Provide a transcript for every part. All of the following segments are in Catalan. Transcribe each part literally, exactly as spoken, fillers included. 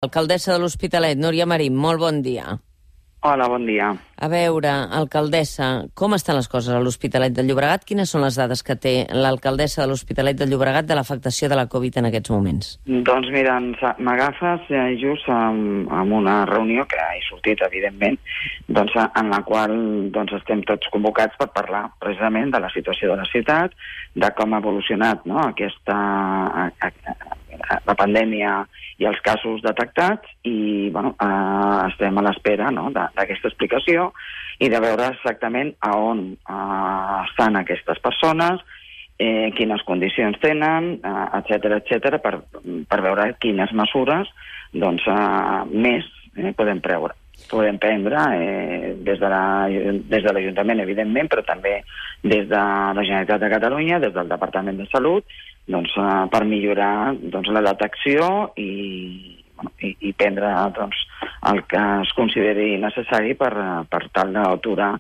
Alcaldessa de l'Hospitalet, Núria Marín, molt bon dia. Hola, bon dia. A veure, alcaldessa, com estan les coses a l'Hospitalet de Llobregat? Quines són les dades que té l'alcaldessa de l'Hospitalet de Llobregat de l'afectació de la Covid en aquests moments? Doncs mira, m'agafes eh, just amb, amb una reunió que he sortit, evidentment, doncs, en la qual doncs, estem tots convocats per parlar precisament de la situació de la ciutat, de com ha evolucionat, no?, aquesta... A, a, la pandèmia i els casos detectats i bueno, eh, estem a l'espera, no?, d'aquesta explicació i de veure exactament a on eh, estan aquestes persones, eh, quines condicions tenen, eh, etcètera, etcètera, per, per veure quines mesures doncs, eh, més eh, podem preure. podem prendre eh, des de la, des de l'Ajuntament, evidentment, però també des de la Generalitat de Catalunya, des del Departament de Salut, doncs, eh, per millorar doncs, la detecció i, bueno, i, i prendre doncs, el que es consideri necessari per, per tal d'aturar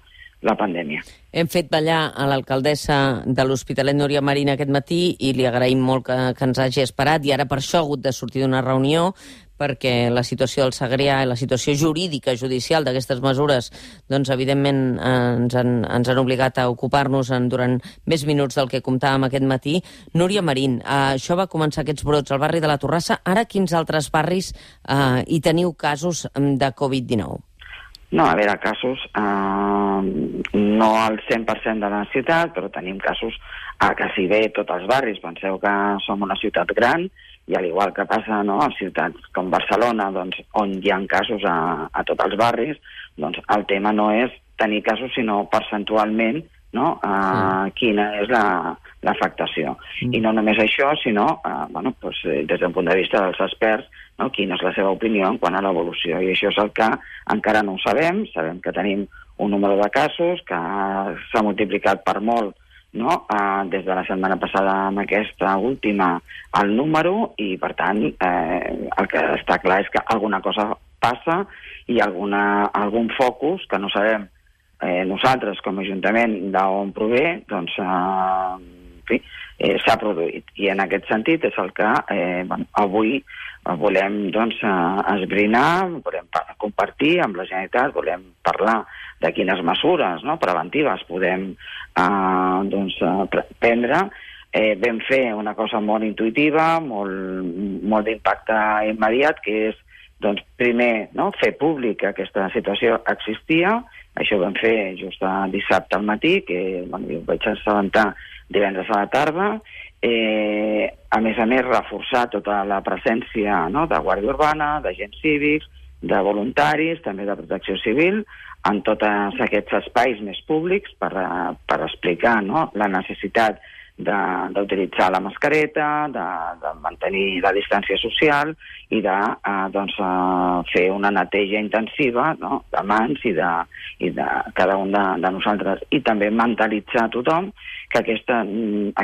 la pandèmia. Hem fet ballar a l'alcaldessa de l'Hospitalet, Núria Marín, aquest matí i li agraïm molt que, que ens hagi esperat i ara per això ha hagut de sortir d'una reunió perquè la situació del Segrià i la situació jurídica, judicial d'aquestes mesures, doncs evidentment eh, ens, han, ens han obligat a ocupar-nos durant més minuts del que comptàvem aquest matí. Núria Marín, eh, això va començar aquests brots al barri de la Torrassa. Ara quins altres barris eh, hi teniu casos de Covid dinou? No, a veure, casos, eh, no al cent per cent de la ciutat, però tenim casos a quasi bé tots els barris. Penseu que som una ciutat gran i al igual que passa, no, a ciutats com Barcelona, doncs, on hi ha casos a, a tots els barris, doncs el tema no és tenir casos, sinó percentualment, no, eh, sí. quina és l'afectació. La, mm. I no només això, sinó, eh, bueno, doncs, des del punt de vista dels experts, no, quina és la seva opinió en quant a l'evolució. I això és el que encara no ho sabem. Sabem que tenim un número de casos que s'ha multiplicat per molt, no, eh, des de la setmana passada amb aquesta última el número i, per tant, eh, el que està clar és que alguna cosa passa i alguna, algun focus que no sabem eh, nosaltres com a Ajuntament d'on prové, doncs, eh, en fi, eh, s'ha produït. I en aquest sentit és el que eh, bueno, avui volem doncs, esbrinar, volem compartir amb la Generalitat, volem parlar de quines mesures, no, preventives podem eh, doncs, prendre. Eh, vam fer una cosa molt intuïtiva, molt, molt d'impacte immediat, que és doncs, primer, no, fer públic que aquesta situació existia. Això ho vam fer just dissabte al matí, que bueno, jo vaig assabentar divendres a la tarda. Eh, a més a més, reforçar tota la presència, no, de Guàrdia Urbana, d'agents cívics, de voluntaris, també de protecció civil, en tots aquests espais més públics per, per explicar, no, la necessitat d'utilitzar la mascareta, de, de mantenir la distància social i de eh, doncs, eh, fer una neteja intensiva, no, de mans i de, i de cada un de, de nosaltres. I també mentalitzar a tothom que aquesta,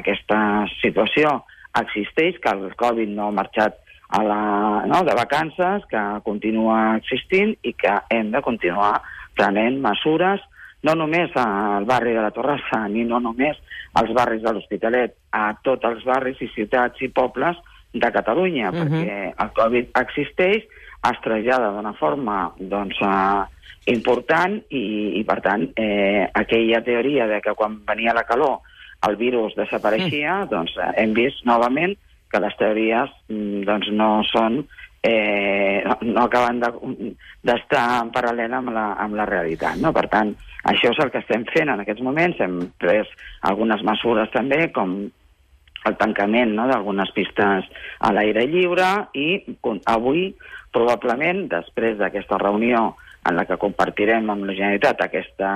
aquesta situació existeix, que el Covid no ha marxat a la, no, de vacances, que continua existint i que hem de continuar prenent mesures no només al barri de la Torrassa, ni no només als barris de l'Hospitalet, a tots els barris i ciutats i pobles de Catalunya, uh-huh. perquè el Covid existeix, es trasllada d'una forma doncs, eh, important i, i, per tant, eh, aquella teoria de que quan venia la calor el virus desapareixia, uh-huh. doncs eh, hem vist novament que les teories doncs, no són eh, no, no acaben d'estar de, en paral·lel amb la, amb la realitat. No? Per tant, això és el que estem fent en aquests moments. Hem pres algunes mesures també, com el tancament, no?, d'algunes pistes a l'aire lliure i avui, probablement, després d'aquesta reunió en la que compartirem amb la Generalitat aquesta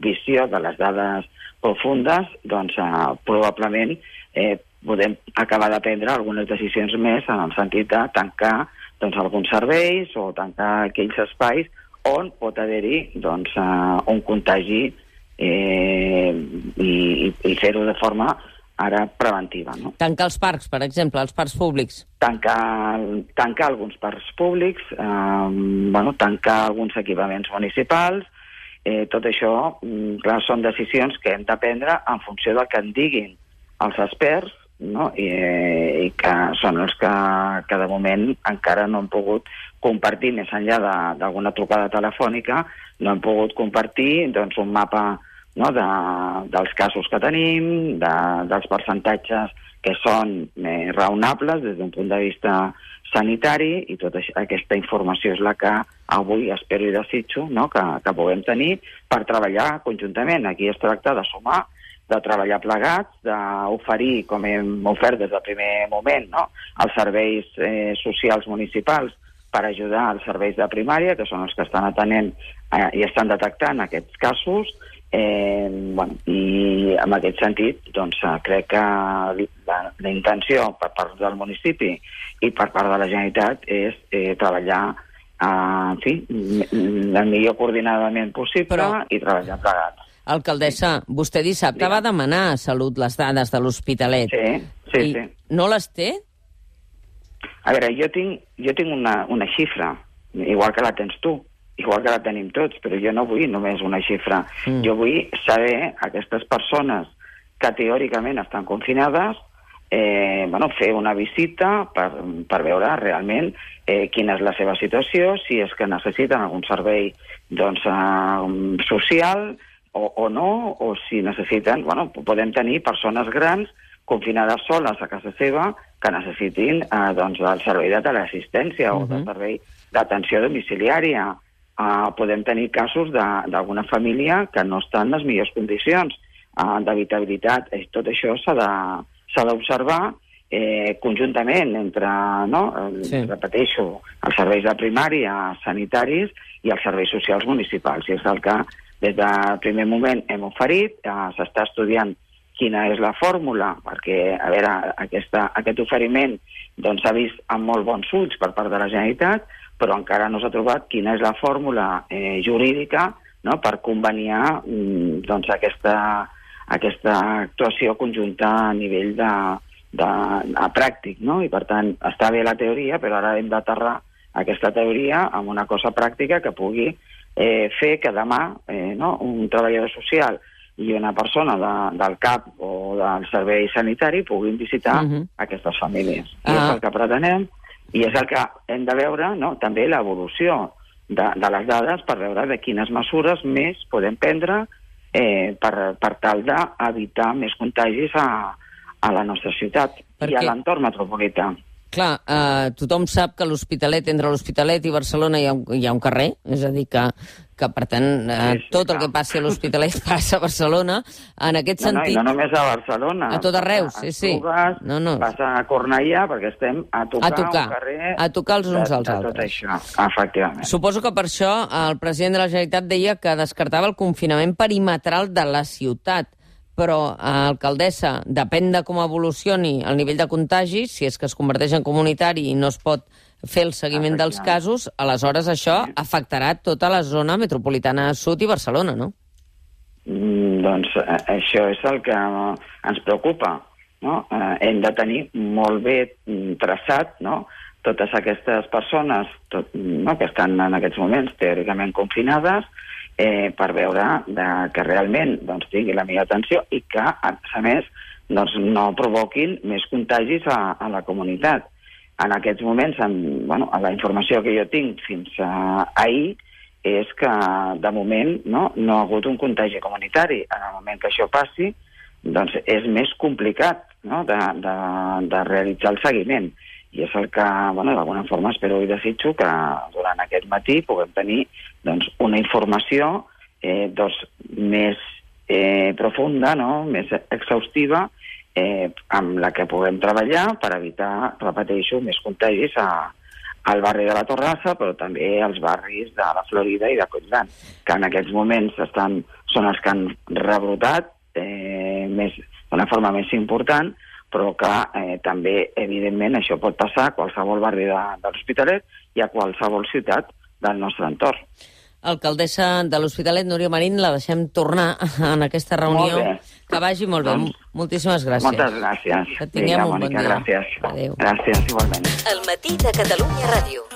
visió de les dades profundes, doncs eh, probablement eh, podem acabar de prendre algunes decisions més en el sentit de tancar doncs, alguns serveis o tancar aquells espais on pot haver-hi doncs, uh, un contagi eh, i, i, i fer-ho de forma ara preventiva. No? Tancar els parcs, per exemple, els parcs públics. Tancar, tancar alguns parcs públics, eh, bueno, tancar alguns equipaments municipals, eh, tot això, clar, són decisions que hem de prendre en funció del que en diguin els experts no? I, i que són els que, que de moment encara no han pogut compartir, més enllà d'alguna trucada telefònica, no han pogut compartir doncs, un mapa, no?, de, dels casos que tenim, de, dels percentatges que són eh, raonables des d'un punt de vista sanitari, i tota aquesta informació és la que avui espero i desitjo, no?, que, que puguem tenir per treballar conjuntament. Aquí es tracta de sumar, de treballar plegats, d'oferir, com hem ofert des del primer moment, no?, els serveis eh, socials municipals per ajudar als serveis de primària, que són els que estan atenent eh, i estan detectant aquests casos. Eh, bueno, i en aquest sentit doncs, crec que la, la intenció per part del municipi i per part de la Generalitat és eh, treballar eh, en fi, el millor coordinadament possible. Però, i treballar plegats. Alcaldessa, vostè dissabte Digue. va demanar a Salut les dades de l'Hospitalet. Sí, sí, i sí. No les té? A veure, jo tinc, jo tinc una, una xifra, igual que la tens tu, igual que la tenim tots, però jo no vull només una xifra. Mm. Jo vull saber aquestes persones que teòricament estan confinades, eh, bueno, fer una visita per, per veure realment eh, quina és la seva situació, si és que necessiten algun servei doncs, eh, social o, o no, o si necessiten... Bueno, podem tenir persones grans confinades soles a casa seva que necessitin eh, doncs, el servei de teleassistència mm-hmm. o del servei d'atenció domiciliària. Uh, podem tenir casos d'alguna família que no està en les millors condicions uh, d'habitabilitat. Tot això s'ha d'observar eh, conjuntament entre, no, sí. repeteixo, els serveis de primària, sanitaris i els serveis socials municipals. I és el que des del primer moment hem oferit. Uh, S'està estudiant quina és la fórmula, perquè a veure, aquesta, aquest oferiment doncs, s'ha vist amb molt bons ulls per part de la Generalitat, però encara no s'ha trobat quina és la fórmula eh, jurídica, no?, per conveniar doncs, aquesta, aquesta actuació conjunta a nivell de, de, de pràctic, no? I per tant està bé la teoria, però ara hem d'aterrar aquesta teoria amb una cosa pràctica que pugui eh, fer que demà eh, no? un treballador social i una persona de, del C A P o del servei sanitari puguin visitar uh-huh. aquestes famílies. I uh-huh. és el que pretenem, i és el que hem de veure, no?, també l'evolució de, de les dades per veure de quines mesures més podem prendre eh, per, per tal d'evitar més contagis a, a la nostra ciutat Perquè... i a l'entorn metropolità. Clar, eh, tothom sap que l'Hospitalet, entre l'Hospitalet i Barcelona hi ha, un, hi ha un carrer, és a dir, que, que per tant, eh, sí, sí, tot el que passi a l'Hospitalet passa a Barcelona. En aquest no, sentit... No, i no només a Barcelona. A tot arreu, sí, sí. Esplugues, no, no. Passa a Cornellà, perquè estem a tocar, a tocar un carrer... A tocar els uns de, als de altres. Tot això, efectivament. Suposo que per això el president de la Generalitat deia que descartava el confinament perimetral de la ciutat. Però, alcaldessa, depèn de com evolucioni el nivell de contagi, si és que es converteix en comunitari i no es pot fer el seguiment dels casos, aleshores això sí. afectarà tota la zona metropolitana sud i Barcelona, no? Mm, doncs eh, això és el que ens preocupa, no? Eh, hem de tenir molt bé traçat, no?, totes aquestes persones tot, no, que estan en aquests moments teòricament confinades, Eh, per veure de, que realment doncs, tingui la millor atenció i que, a més, doncs, no provoquin més contagis a, a la comunitat. En aquests moments, en, bueno, la informació que jo tinc fins a ahir és que, de moment, no, no ha hagut un contagi comunitari. En el moment que això passi, doncs és més complicat, no?, de, de, de realitzar el seguiment. I és el que, bueno, d'alguna forma espero i desitjo que durant aquest matí puguem tenir doncs, una informació eh, doncs, més eh, profunda, no?, més exhaustiva, eh, amb la que puguem treballar per evitar, repeteixo, més contagis a, al barri de la Torrassa, però també als barris de la Florida i de Collblanc, que en aquests moments estan, són els que han rebrotat eh, més, d'una forma més important, però que eh, també, evidentment, això pot passar a qualsevol barri de, de l'Hospitalet i a qualsevol ciutat del nostre entorn. Alcaldessa de l'Hospitalet, Núria Marín, la deixem tornar en aquesta reunió. Que vagi molt bé. Doncs, moltíssimes gràcies. Moltes gràcies. Que tinguem Vinga, un Mònica, bon dia. Gràcies. Adéu. Gràcies, igualment. El matí de Catalunya Ràdio.